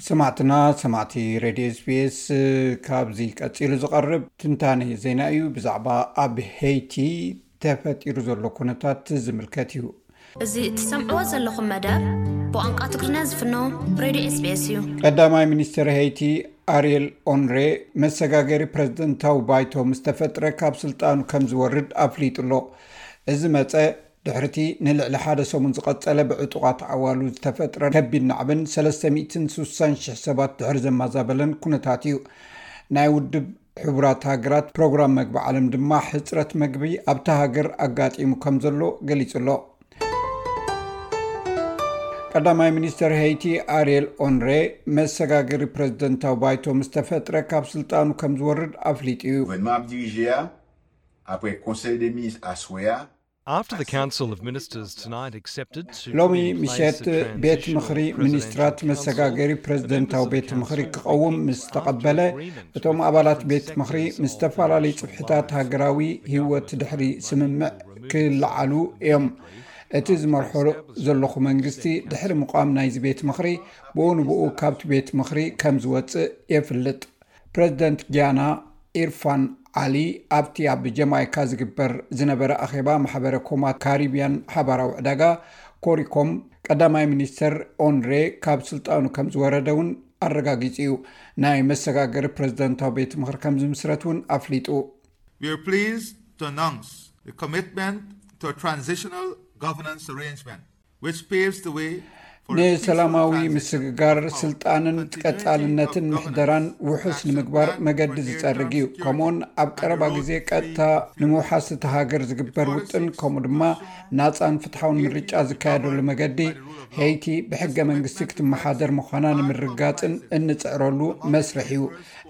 ሰማዕትና ሰማዕቲ ሬድዮ ኤስቢኤስ፣ ካብዚ ቀጺሉ ዝቐርብ ትንታነ ዜና እዩ። ብዛዕባ ኣብ ሄይቲ ተፈጢሩ ዘሎ ኩነታት ዝምልከት እዩ። እዚ እትሰምዕዎ ዘለኹም መደብ ብቋንቋ ትግርኛ ዝፍኖ ሬድዮ ኤስቢኤስ እዩ። ቀዳማይ ሚኒስትር ሄይቲ ኣሪየል ኦንሬ መሰጋገሪ ፕሬዝደንታዊ ባይቶ ምስ ተፈጥረ ካብ ስልጣኑ ከም ዝወርድ ኣፍሊጡ ኣሎ። እዚ መጸ ድሕርቲ ንልዕሊ ሓደ ሰሙን ዝቐጸለ ብዕጡቓት ዓዋሉ ዝተፈጥረ ከቢድ ናዕብን ሰለስተ ሚእትን ስሳን ሽሕ ሰባት ድሕሪ ዘማዛበለን ኩነታት እዩ። ናይ ውድብ ሕቡራት ሃገራት ፕሮግራም መግቢ ዓለም ድማ ሕጽረት መግቢ ኣብታ ሃገር ኣጋጢሙ ከም ዘሎ ገሊጹ ኣሎ። ቀዳማይ ሚኒስተር ሄይቲ ኣሪየል ኦንሬ መሰጋገሪ ፕሬዝደንታዊ ባይቶ ምስ ተፈጥረ ካብ ስልጣኑ ከም ዝወርድ ኣፍሊጡ እዩ። Gouvernement ap dirije a, apre konsèy de minis aswè a, After the Council of Ministers tonight accepted to ሎሚ put in place ምሸት a ቤት transitional ምኽሪ presidential ሚኒስትራት council, መሰጋገሪ the ፕሬዝደንታዊ members of the ቤት ምኽሪ council ክቐውም will be ምስ kicking ተቐበለ after agreement እቶም with ኣባላት key ቤት ምኽሪ sectors ምስ of ዝተፈላለዩ national ጽፍሕታት life. ሃገራዊ ህይወት ድሕሪ ስምምዕ ክለዓሉ እዮም። እቲ ዝመርሖ ዘለኹ መንግስቲ ድሕሪ ምቋም ናይዚ ቤት ምኽሪ ብኡ ንብኡ ካብቲ ቤት ምኽሪ ከም ዝወጽእ የፍልጥ። ፕሬዝደንት ጊያና ኢርፋን ዓሊ ኣብቲ ኣብ ጀማይካ ዝግበር ዝነበረ ኣኼባ ማሕበረ ኮማት ካሪብያን ሓባራዊ ዕዳጋ ኮሪኮም ቀዳማይ ሚኒስተር ኦንሬ ካብ ስልጣኑ ከም ዝወረደ እውን ኣረጋጊጹ እዩ። ናይ መሰጋገሪ ፕሬዝደንታዊ ቤት ምኽሪ ከም ዝምስረት እውን ኣፍሊጡ። We are pleased to announce the commitment to a transitional governance arrangement which paves the way for a peaceful ንሰላማዊ transition ምስግጋር of power, ስልጣንን continuity ቀጻልነትን of ምሕደራን governance, ውሑስ action ንምግባር plan መገዲ for near-term ዝጸርግ እዩ። security ከምኡውን ኣብ and ቀረባ the road ግዜ to free ቀጥታ and fair ንምውሓስ እቲ ሃገር ዝግበር ውጥን ከምኡ ድማ ናጻን ፍትሓውን ምርጫ ዝካየደሉ መገዲ ሄይቲ ብሕገ መንግስቲ ክትመሓደር ምዃና ንምርጋጽን እንጽዕረሉ መስርሕ እዩ።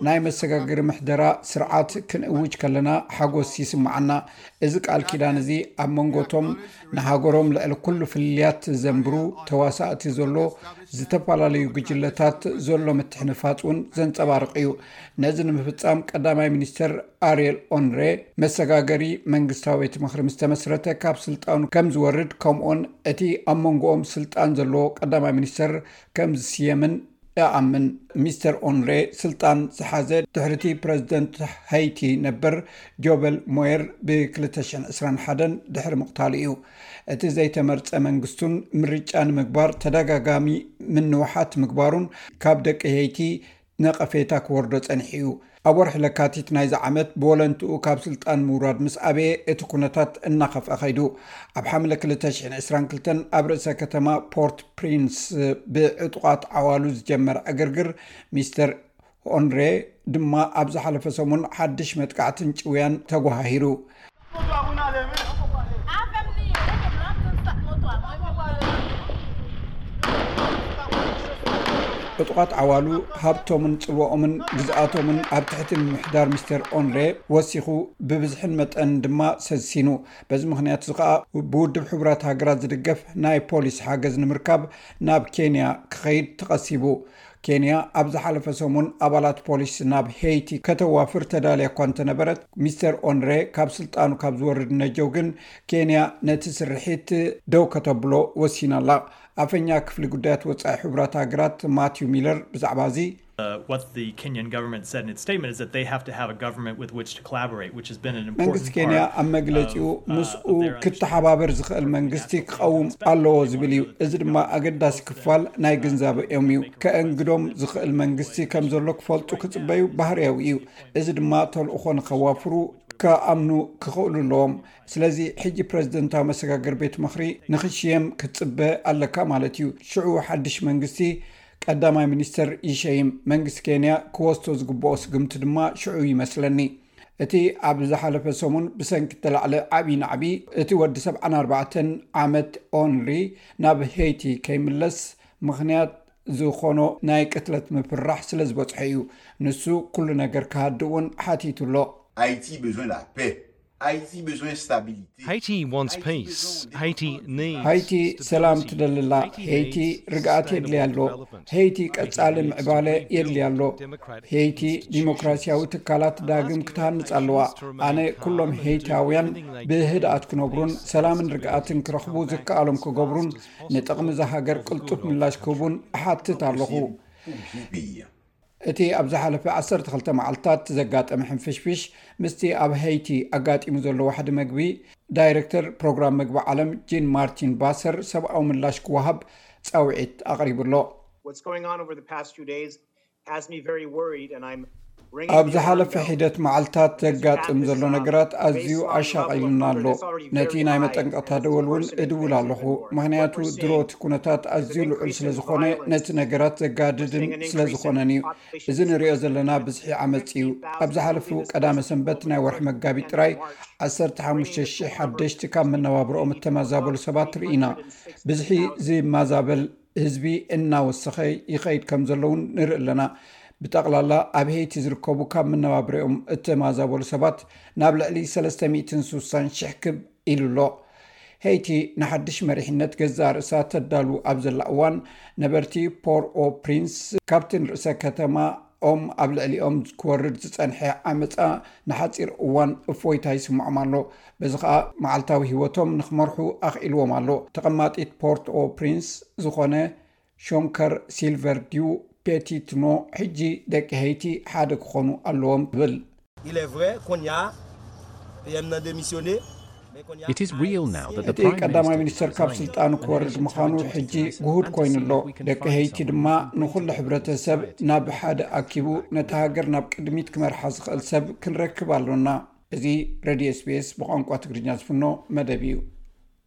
ናይ መሰጋገሪ ምሕደራ ስርዓት ክንእውጅ ከለና ሓጎስ ይስምዓና። እዚ ቃል ኪዳን እዚ ኣብ መንጎቶም ንሃገሮም ልዕሊ ኩሉ ፍልልያት ዘንብሩ ተዋሳእቲ ዘሎ ዝተፈላለዩ ጉጅለታት ዘሎ ምትሕንፋጽ እውን ዘንጸባርቕ እዩ። ነዚ ንምፍጻም ቀዳማይ ሚኒስተር ኣሪየል ኦንሬ መሰጋገሪ መንግስታዊ ቤት ምኽሪ ምስ ተመስረተ ካብ ስልጣኑ ከም ዝወርድ ከምኡውን እቲ ኣብ መንጎኦም ስልጣን ዘለዎ ቀዳማይ ሚኒስተር ከም ዝስየምን እኣምን። ሚስተር ኦንሬ ስልጣን ዝሓዘ ድሕርቲ ፕሬዝደንት ሀይቲ ነበር ጆበል ሞየር ብ ክልተ ሽሕን ዕስራን ሓደን ድሕሪ ምቕታሉ እዩ። እቲ ዘይተመርጸ መንግስቱን ምርጫ ንምግባር ተደጋጋሚ ምንውሓት ምግባሩን ካብ ደቂ ሄይቲ ነቐፌታ ክወርዶ ጸኒሑ እዩ። ኣብ ወርሒ ለካቲት ናይዚ ዓመት ብወለንትኡ ካብ ስልጣን ምውራድ ምስ ኣበየ እቲ ኩነታት እናኸፍአ ኸይዱ። ኣብ ሓምለ ክልተ ሽሕን ዕስራን ክልተን ኣብ ርእሰ ከተማ ፖርት ፕሪንስ ብዕጡቓት ዓዋሉ ዝጀመረ ዕግርግር ሚስተር ኦንሬ ድማ ኣብ ዝሓለፈ ሰሙን ሓድሽ መጥቃዕትን ጭውያን ተጓሃሂሩ። ዕጡቓት ዓዋሉ ሃብቶምን ጽልዋኦምን ግዝኣቶምን ኣብ ትሕቲ ምምሕዳር ሚስተር ኦንሬ ወሲኹ ብብዝሕን መጠንን ድማ ሰሲኑ። በዚ ምኽንያት እዚ ኸኣ ብውድብ ሕቡራት ሃገራት ዝድገፍ ናይ ፖሊስ ሓገዝ ንምርካብ ናብ ኬንያ ክኸይድ ተቐሲቡ። ኬንያ ኣብ ዝሓለፈ ሰሙን ኣባላት ፖሊስ ናብ ሄይቲ ከተዋፍር ተዳልያ እኳ እንተነበረት ሚስተር ኦንሬ ካብ ስልጣኑ ካብ ዝወርድ ነጀው ግን ኬንያ ነቲ ስርሒት ደው ከተብሎ ወሲና ኣላ። ኣፈኛ ክፍሊ ጉዳያት ወጻኢ ሕቡራት ሃገራት ማቲው ሚለር ብዛዕባ እዚ Uh, what the Kenyan government said in its statement is that they have to have a government with which to collaborate, which has been an important መንግስቲ ኬንያ ኣብ መግለጺኡ ምስኡ ክተሓባበር ዝኽእል መንግስቲ ክቐውም ኣለዎ ዝብል እዩ። እዚ ድማ ኣገዳሲ ክፋል ናይ ግንዛበኦም እዩ። ከእንግዶም ዝኽእል መንግስቲ ከም ዘሎ ክፈልጡ ክጽበዩ ባህርያዊ እዩ። እዚ ድማ ተልእኾ ንኸዋፍሩ ከኣምኑ ክኽእሉ ኣለዎም። ስለዚ ሕጂ ፕሬዝደንታዊ መሰጋገሪ ቤት ምኽሪ ንኽሽየም ክትጽበ ኣለካ ማለት እዩ። ሽዑ ሓድሽ መንግስቲ ቀዳማይ ሚኒስተር ይሸይም። መንግስቲ ኬንያ ክወስዶ ዝግብኦ ስግምቲ ድማ ሽዑ ይመስለኒ። እቲ ኣብ ዝሓለፈ ሰሙን ብሰንኪ እተላዕለ ዓብዪ ናዕቢ እቲ ወዲ ሰብዓን ኣርባዕተን ዓመት ኦንሪ ናብ ሄይቲ ከይምለስ ምኽንያት ዝኾኖ ናይ ቅትለት ምፍርራሕ ስለ ዝበጽሖ እዩ። ንሱ ኩሉ ነገር ክሃድእ እውን ሓቲቱ ኣሎ። Haïti besoin la paix. Haïti besoin stabilité. Haiti wants peace. Haiti needs ሃይቲ ሰላም ትደሊ ኣላ። ሄይቲ ርግኣት የድልያ ኣሎ። ሄይቲ ቀጻሊ ምዕባለ የድልያ ኣሎ። ሄይቲ ዲሞክራሲያዊ ትካላት ዳግም ክትሃንጽ ኣለዋ። ኣነ ኩሎም ሄይታውያን ብህድኣት ክነብሩን ሰላምን ርግኣትን ክረኽቡ ዝከኣሎም ክገብሩን ንጥቕሚ እዛ ሃገር ቅልጡፍ ምላሽ ክህቡን እሓትት ኣለኹ። እቲ ኣብ ዝሓለፈ ዓሰርተ ክልተ መዓልታት ዘጋጠመ ሕንፍሽፍሽ ምስቲ ኣብ ሄይቲ ኣጋጢሙ ዘሎ ዋሕዲ መግቢ ዳይሬክተር ፕሮግራም መግቢ ዓለም ጂን ማርቲን ባሰር ሰብኣዊ ምላሽ ክወሃብ ጻውዒት ኣቕሪቡ ኣሎ። What's going on over the past few days has me very worried, and I'm ኣብ ዝሓለፈ ሒደት መዓልታት ዘጋጥም ዘሎ ነገራት ኣዝዩ ኣሻቒሉና ኣሎ። ነቲ ናይ መጠንቀቕታ ደወል እውን እድውል ኣለኹ፣ ምኽንያቱ ድሮ እቲ ኩነታት ኣዝዩ ልዑል ስለ ዝኾነ ነቲ ነገራት ዘጋድድን ስለ ዝኾነን እዩ። እዚ ንሪኦ ዘለና ብዝሒ ዓመፅ እዩ። ኣብ ዝሓለፉ ቀዳመ ሰንበት ናይ ወርሒ መጋቢት ጥራይ ዓሰርተ ሓሙሽተ ሽሕ ሓደሽቲ ካብ መነባብሮኦም እተመዛበሉ ሰባት ርኢና። ብዝሒ ዝመዛበል ህዝቢ እናወሰኸ ይኸይድ ከም ዘሎ እውን ንርኢ ኣለና። ብጠቕላላ ኣብ ሄይቲ ዝርከቡ ካብ መነባብሮኦም እተመዛበሉ ሰባት ናብ ልዕሊ ሰለስተ ሚእትን ስሳን ሽሕ ክብ ኢሉ ኣሎ። ሄይቲ ንሓድሽ መሪሕነት ገዛእ ርእሳ ተዳሉ ኣብ ዘላ እዋን ነበርቲ ፖር ኦ ፕሪንስ ካብቲ ንርእሰ ከተማ ኦም ኣብ ልዕሊኦም ክወርድ ዝጸንሐ ዓመጻ ንሓጺር እዋን እፎይታ ይስምዖም ኣሎ። በዚ ኸኣ መዓልታዊ ህይወቶም ንኽመርሑ ኣኽኢልዎም ኣሎ። ተቐማጢት ፖርት ኦ ፕሪንስ ዝኾነ ሾንከር ሲልቨር ዲው ፔቲትኖ ሕጂ ደቂ ሄይቲ ሓደ ክኾኑ ኣለዎም ትብል። Il est vrai, Konya, P M n'a démissionné. It is real now that the እቲ Prime ቀዳማይ Minister ሚኒስተር ካብ resigned, ስልጣኑ and ክወርድ Haitians are ምዃኑ trying to ሕጂ see if we can ግሁድ find ኮይኑ ኣሎ። someone who can ደቂ fight ሄይቲ ድማ someone who can ንኹሉ take ሕብረተሰብ society ናብ in ሓደ different ኣኪቡ direction. ነታ ሃገር ናብ ቅድሚት ክመርሓ ዝኽእል ሰብ ክንረክብ ኣሎና። እዚ ሬድዮ ኤስቢኤስ ብቋንቋ ትግርኛ ዝፍኖ መደብ እዩ።